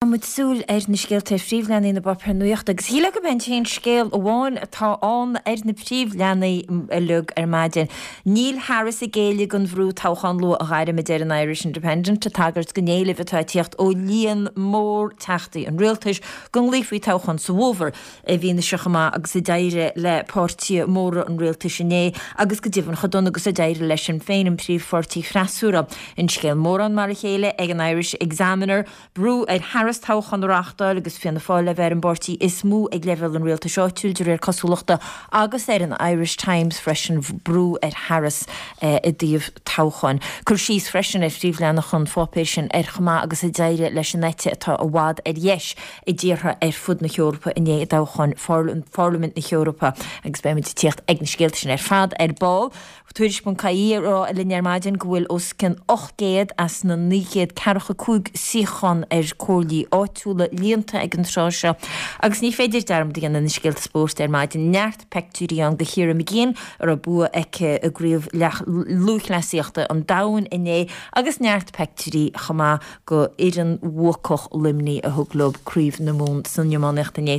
Muid súil ar na scéalta ar phríomhleathanaigh na bpáipéar nuachta agus shílfeá gurb é an t-aon scéal amháin atá ann ar na príomhleathanaigh uilig ar maidin. Níl Harris ag géilleadh don bhrú toghchán luath a ghairm, a deir an Irish Independent, ag tagairt don éileamh atá ag tíocht ó líon mór teachtaí an rialtais go nglaofaí toghchán sa bhfómhar. I bhfianaise chomh maith agus a d'éirigh le páirtithe móra an rialtais inné agus go deimhin chomh dona agus a d'éirigh le Sinn Féin, an príomhpháirtí freasúra. An scéal mórán mar a chéile ag an Irish Examiner. Brú ar Harris toghchán a reáchtáil agus Fianna Fáil le bheith ar an bpáirtí is mó ag leibhéal an rialtais áitiúil de réir cosúlachta agus ar an Irish Times freisin brú ar Harris i dtaobh toghcháin. Cur síos freisin ar phríomhleathanach an pháipéir sin ar chomh maith agus a d'éirigh leis an eite atá i bhfad ar dheis i dtíortha ar fud na hEorpa inné i dtoghcháin Pharlaimint na hEorpa agus beidh muid ag tíocht ag na scéalta sin ar fad ar ball. Tuairisc.ie ag rá linn ar maidin go bhfuil os cionn 800 as na 945 suíochán ar comhairlí áitiúla líonta ag an tráth seo agus ní féidir dearmad a dhéanamh na scéalta spóirt ar maidin. Neart peictiúirí ann de Chiara Mageean a raibh bua aici i gCraobh Lúthchleasaíochta an Domhain inné agus neart peictiúirí chomh maith go fhoireann bhuacach Luimnigh a thug leo Craobh na Mumhan san iománaíocht inné.